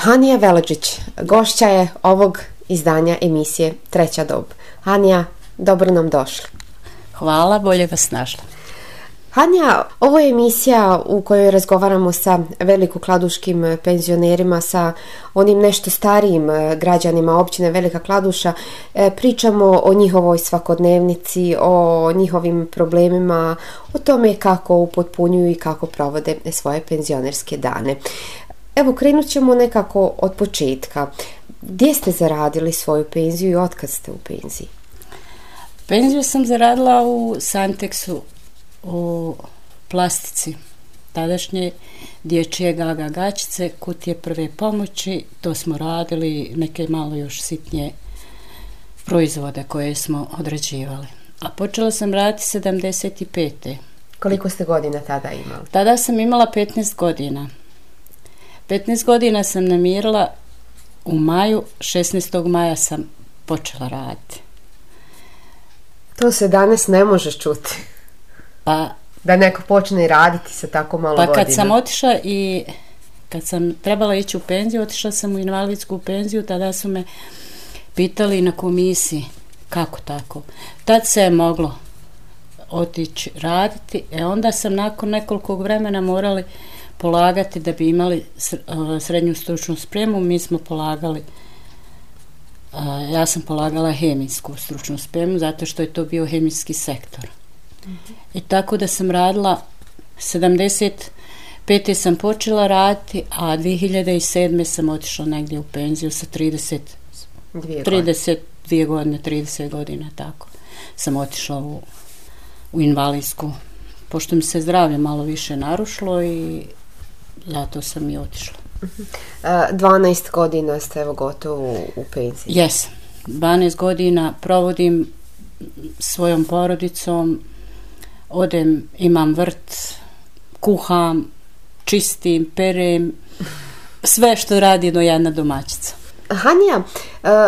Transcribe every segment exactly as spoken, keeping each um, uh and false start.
Hanija Veladžić, gošća je ovog izdanja emisije Treća dob. Hanija, dobro nam došli. Hvala, bolje vas našla. Hanija, ovo je emisija u kojoj razgovaramo sa velikokladuškim penzionerima, sa onim nešto starijim građanima općine Velika Kladuša. Pričamo o njihovoj svakodnevnici, o njihovim problemima, o tome kako upotpunjuju i kako provode svoje penzionerske dane. Evo, krenut ćemo nekako od početka. Gdje ste zaradili svoju penziju i otkad ste u penziji? Penziju sam zaradila u Santexu, u plastici. Tadašnje dječje gaga gačice, kutije prve pomoći, to smo radili, neke malo još sitnije proizvode koje smo odrađivali. A počela sam raditi sedamdeset pete. Koliko ste godina tada imali? Tada sam imala petnaest godina. petnaest godina sam namirila u maju, šesnaestog maja sam počela raditi. To se danas ne može čuti. Pa, da neko počne raditi sa tako malo pa godina. Kad sam otišla i kad sam trebala ići u penziju, otišla sam u invalidsku penziju, tada su me pitali na komisiji kako tako. Tad se je moglo otići raditi, e onda sam nakon nekoliko vremena morali polagati da bi imali srednju stručnu spremu. Mi smo polagali, ja sam polagala hemijsku stručnu spremu zato što je to bio hemijski sektor. Mm-hmm. I tako da sam radila, sedamdeset pete sam počela raditi, a dvije hiljade sedme sam otišla negdje u penziju sa trideset, trideset dvije godine, trideset godina, tako. Sam otišla u, u invalidsku, pošto mi se zdravlje malo više narušilo i zato sam i otišla. dvanaest godina ste evo gotovo u penziji. Jesam. dvanaest godina provodim svojom porodicom, odem, imam vrt, kuham, čistim, perem, sve što radi jedno jedna domaćica. Hanija,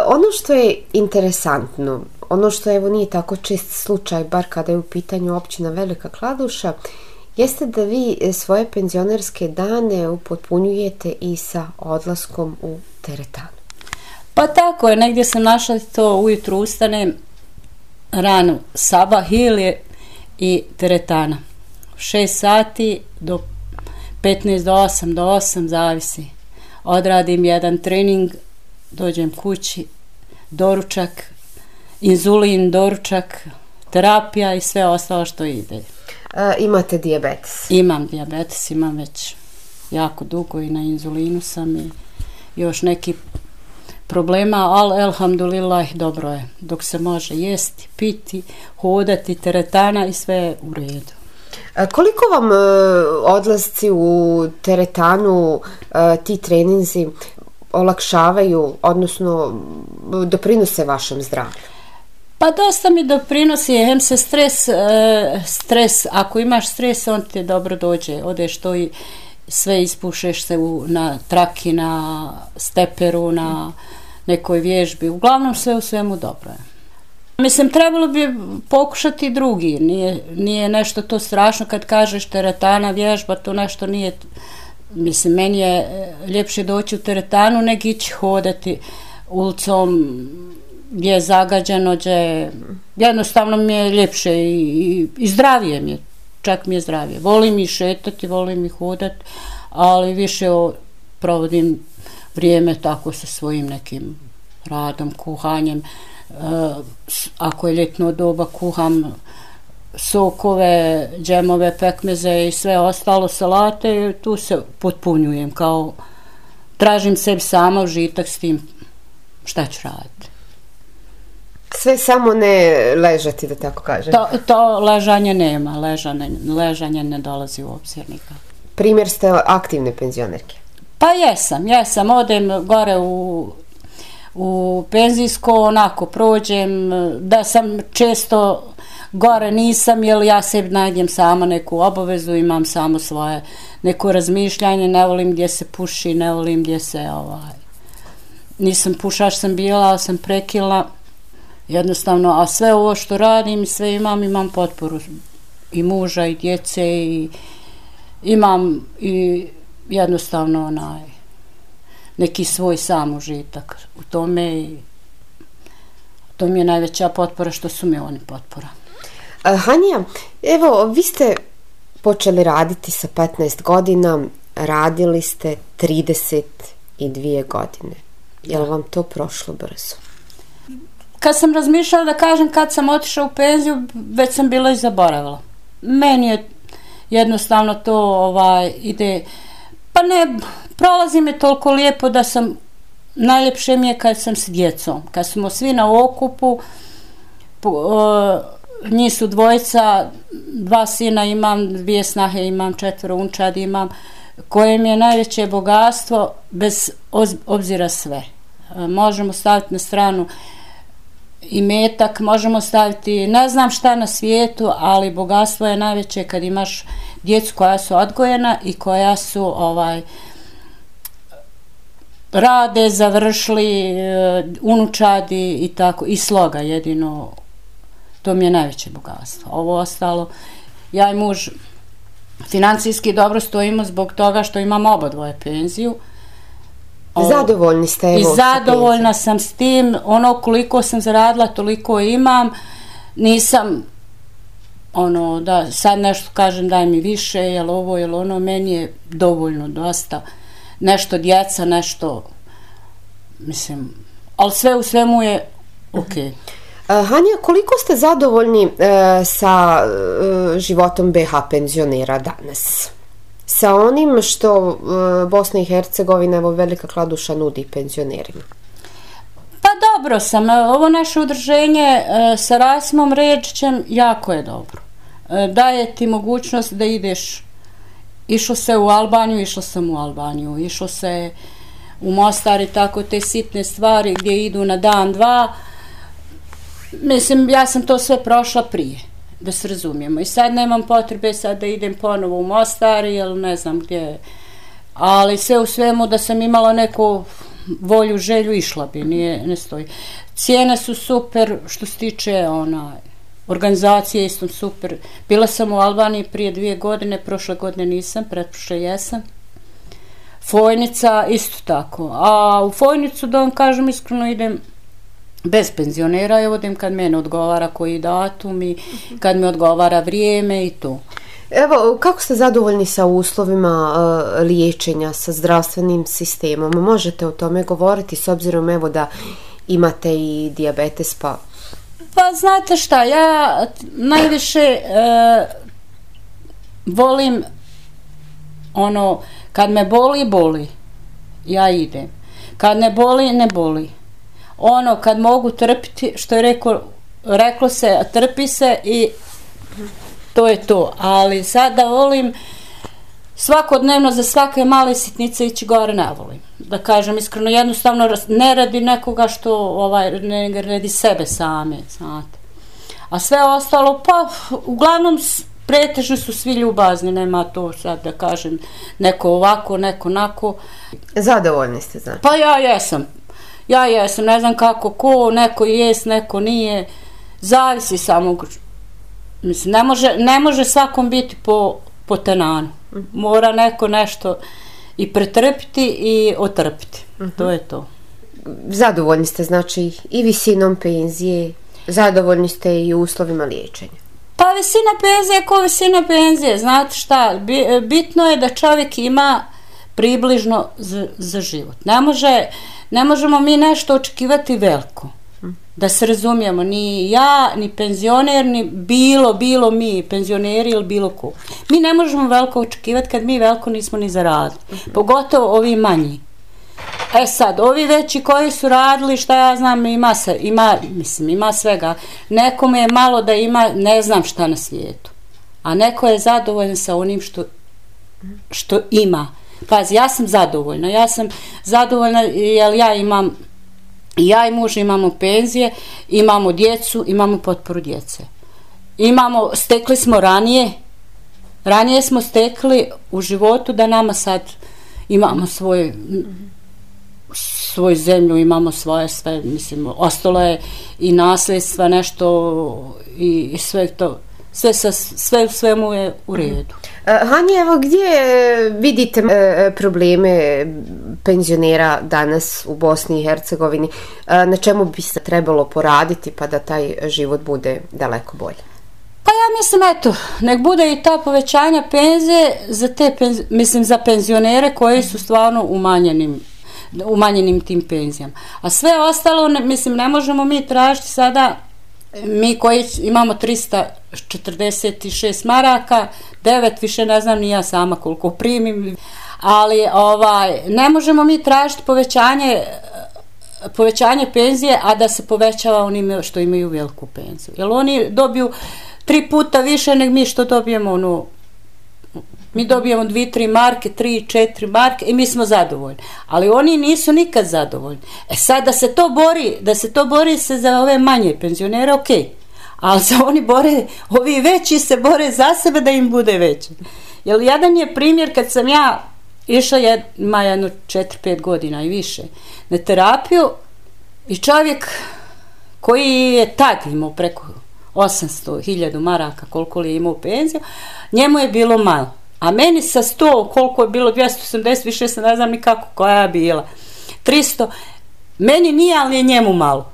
ono što je interesantno, ono što evo nije tako čest slučaj, bar kada je u pitanju općina Velika Kladuša, jeste da vi svoje penzionerske dane upotpunjujete i sa odlaskom u teretanu. Pa tako je, negdje sam našla to, ujutru ustanem, rano sabah ilije i teretana. šest sati do petnaest do osam, do osam zavisi. Odradim jedan trening, dođem kući, doručak, inzulin, doručak, terapija i sve ostalo što ide. E, imate dijabetes? Imam dijabetes, imam već jako dugo i na inzulinu sam i još neki problema, ali elhamdulillah dobro je. Dok se može jesti, piti, hodati, teretana i sve je u redu. E, koliko vam e, odlasci u teretanu, e, ti treninzi olakšavaju, odnosno doprinose vašem zdravlju? Pa dosta mi doprinosi, hem se stres, e, stres, ako imaš stres, on ti dobro dođe, odeš to i sve ispušeš se u, na traki, na steperu, na nekoj vježbi, uglavnom sve u svemu dobro je. Mislim, trebalo bi pokušati drugi, nije, nije nešto to strašno kad kažeš teretana, vježba, to nešto nije, mislim, meni je ljepše doći u teretanu nego ići hodati ulicom gdje je zagađeno, gdje jednostavno mi je ljepše i, i, i zdravije mi je, čak mi je zdravije. Volim i šetati, volim i hodati, ali više o, provodim vrijeme tako sa svojim nekim radom, kuhanjem. E, ako je ljetno doba, kuham sokove, džemove, pekmeze i sve ostalo, salate, tu se potpunjujem, kao tražim sebi sama užitak s tim šta ću raditi. Sve samo ne ležati, da tako kažem. To, to ležanje nema, ležanje, ležanje ne dolazi u obzir nikad. Primjer ste aktivne penzionerke. Pa jesam, jesam, odem gore u, u penzijsko, onako prođem, da sam često gore nisam, jer ja sebi najdem sama neku obavezu, imam samo svoje neko razmišljanje, ne volim gdje se puši, ne volim gdje se, ovaj, nisam pušač sam bila, ali sam prekila, jednostavno, a sve ovo što radim, sve imam, imam potporu i muža i djece i imam i jednostavno onaj, neki svoj sam užitak u tome i to mi je najveća potpora što su mi oni potpora. Hanja, evo, vi ste počeli raditi sa petnaest godina, radili ste trideset dvije godine. Je li vam to prošlo brzo? Kad sam razmišljala da kažem kad sam otišla u penziju, već sam bila i zaboravila. Meni je jednostavno to ovaj, ide, pa ne, prolazi me toliko lijepo da sam, najljepše mi je kad sam s djecom, kad smo svi na okupu, uh, njih su dvojica, dva sina imam, dvije snahe imam, četvero unčadi imam, koje mi je najveće bogatstvo bez obzira sve. Uh, možemo staviti na stranu imetak, možemo staviti ne znam šta na svijetu, ali bogatstvo je najveće kad imaš djecu koja su odgojena i koja su ovaj rade, završili, unučadi i tako, i sloga jedino, to mi je najveće bogatstvo. Ovo ostalo, ja i muž financijski dobro stojimo zbog toga što imamo obadvoje penziju. Zadovoljni ste, evo, i zadovoljna sam s tim, ono koliko sam zaradila toliko imam, nisam ono da sad nešto kažem daj mi više, jel ovo, jel ono, meni je dovoljno dosta, nešto djeca, nešto mislim, ali sve u svemu je ok. Hanja, koliko ste zadovoljni uh, sa uh, životom be ha penzionera danas? Sa onim što uh, Bosna i Hercegovina, evo Velika Kladuša, nudi penzionerima? Pa dobro sam, ovo naše udruženje uh, sa Rasimom Redžićem jako je dobro. Uh, daje ti mogućnost da ideš, išlo se u Albaniju, išlo sam u Albaniju, išlo se u Mostar i tako te sitne stvari gdje idu na dan, dva. Mislim, ja sam to sve prošla prije, da se razumijemo. I sad nemam potrebe sad da idem ponovo u Mostar ili ne znam gdje. Ali sve u svemu da sam imala neku volju, želju, išla bi, nije, ne stoji. Cijene su super, što se tiče ona, organizacije isto super. Bila sam u Albaniji prije dvije godine, prošle godine nisam, pretprošle jesam. Fojnica isto tako. A u Fojnicu, da vam kažem iskreno, idem bez penzionera, ja vodim kad mene odgovara koji datum i kad mi odgovara vrijeme i to. Evo, kako ste zadovoljni sa uslovima uh, liječenja, sa zdravstvenim sistemom? Možete o tome govoriti s obzirom evo da imate i dijabetes, pa... Pa znate šta, ja najviše uh, volim ono, kad me boli, boli, ja idem. Kad ne boli, ne boli. Ono, kad mogu trpiti, što je rekao, reklo se, trpi se i to je to. Ali sada volim svakodnevno za svake male sitnice ići gore, ne volim. Da kažem iskreno, jednostavno ne radi nekoga što ovaj, ne radi sebe same, znate. A sve ostalo, pa uglavnom pretežno su svi ljubazni, nema to sad da kažem neko ovako, neko onako. Zadovoljni ste, znači? Pa ja jesam. Ja jesam, ne znam kako, ko, neko jest, neko nije, zavisi samo, mislim, ne može, ne može svakom biti po, po tenanu, mora neko nešto i pretrpiti i otrpiti, uh-huh. To je to. Zadovoljni ste, znači, i visinom penzije, zadovoljni ste i uslovima liječenja? Pa visina penzije ko visina penzije, znate šta, bitno je da čovjek ima približno za, za život, ne može... Ne možemo mi nešto očekivati veliko, da se razumijemo, ni ja, ni penzioner, ni bilo, bilo mi, penzioneri ili bilo ko. Mi ne možemo veliko očekivati kad mi veliko nismo ni zaradili, pogotovo ovi manji. E sad, ovi veći koji su radili, šta ja znam, ima, se, ima, mislim, ima svega. Nekome je malo da ima, ne znam šta na svijetu, a neko je zadovoljan sa onim što, što ima. Pazi, ja sam zadovoljna, ja sam zadovoljna jer ja imam, ja i muž imamo penzije, imamo djecu, imamo potporu djece. Imamo, stekli smo ranije, ranije smo stekli u životu da nama sad imamo svoj, svoju zemlju, imamo svoje sve, mislim, ostalo je i nasljedstva nešto i, i sve to. sve, sa, sve u svemu je u redu. Hanja, evo gdje vidite probleme penzionera danas u Bosni i Hercegovini, na čemu bi se trebalo poraditi pa da taj život bude daleko bolji? Pa ja mislim, eto, nek bude i ta povećanja penzije za te, mislim, za penzionere koji su stvarno umanjenim, umanjenim tim penzijama. A sve ostalo, ne, mislim, ne možemo mi tražiti sada, mi koji imamo trista četrdeset šest maraka, devet, više ne znam ni ja sama koliko primim, ali ovaj, ne možemo mi tražiti povećanje povećanje penzije, a da se povećava onima što imaju veliku penziju. Jer oni dobiju tri puta više nego mi što dobijemo, ono, mi dobijemo dvije, tri marke, tri, četiri marke i mi smo zadovoljni. Ali oni nisu nikad zadovoljni. E sad da se to bori, da se to bori se za ove manje penzionere, ok. Ali se oni bore, ovi veći se bore za sebe da im bude veće. Jer jedan je primjer kad sam ja išla, ima jedno četiri pet godina i više, na terapiju i čovjek koji je tad imao preko osamsto hiljada maraka, koliko li je imao penziju, njemu je bilo malo. A meni sa sto, koliko je bilo, dvjesto osamdeset, više se ne znam ni kako, koja je bila, tristo, meni nije, ali je njemu malo.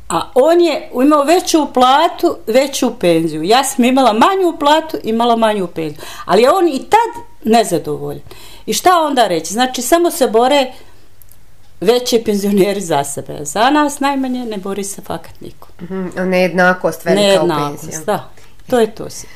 A on je imao veću platu, veću penziju. Ja sam imala manju platu, imala manju penziju. Ali je on i tad nezadovoljan. I šta onda reći? Znači, samo se bore veći penzioneri za sebe. Za nas najmanje ne bori se fakat niko. Mm-hmm. Nejednakost velika Nejednakost, u penzijama. Da, to je to si.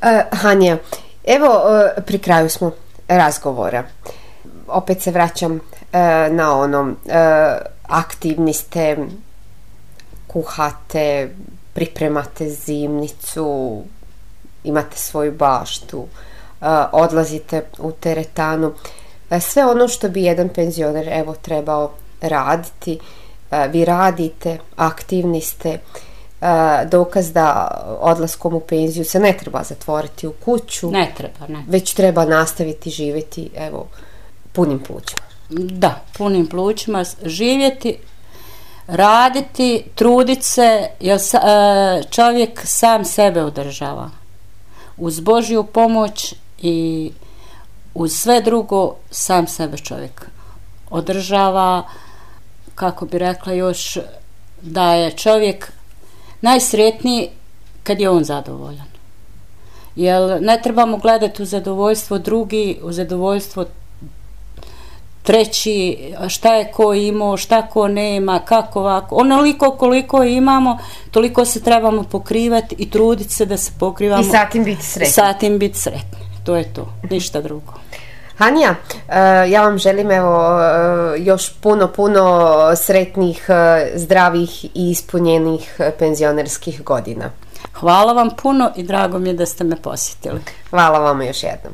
Uh, Hanja, evo uh, pri kraju smo razgovora. Opet se vraćam uh, na ono, uh, aktivni ste, kuhate, pripremate zimnicu, imate svoju baštu, uh, odlazite u teretanu. Uh, sve ono što bi jedan penzioner evo trebao raditi, uh, vi radite, aktivni ste. Uh, dokaz da odlaskom u penziju se ne treba zatvoriti u kuću. Ne treba, ne. Već treba nastaviti živjeti, evo, punim plućima. Da, punim plućima živjeti, raditi, truditi se, jer čovjek sam sebe održava. Uz Božju pomoć i uz sve drugo sam sebe čovjek održava, kako bi rekla još, da je čovjek najsretniji kad je on zadovoljan. Jer ne trebamo gledati u zadovoljstvo drugi, u zadovoljstvo treći, šta je ko imao, šta ko nema, kako ovako. Onoliko koliko imamo, toliko se trebamo pokrivati i truditi se da se pokrivamo. I sa tim biti sretni. Sa tim biti sretni. To je to, ništa drugo. Hanja, ja vam želim evo još puno, puno sretnih, zdravih i ispunjenih penzionerskih godina. Hvala vam puno i drago mi je da ste me posjetili. Hvala vam još jednom.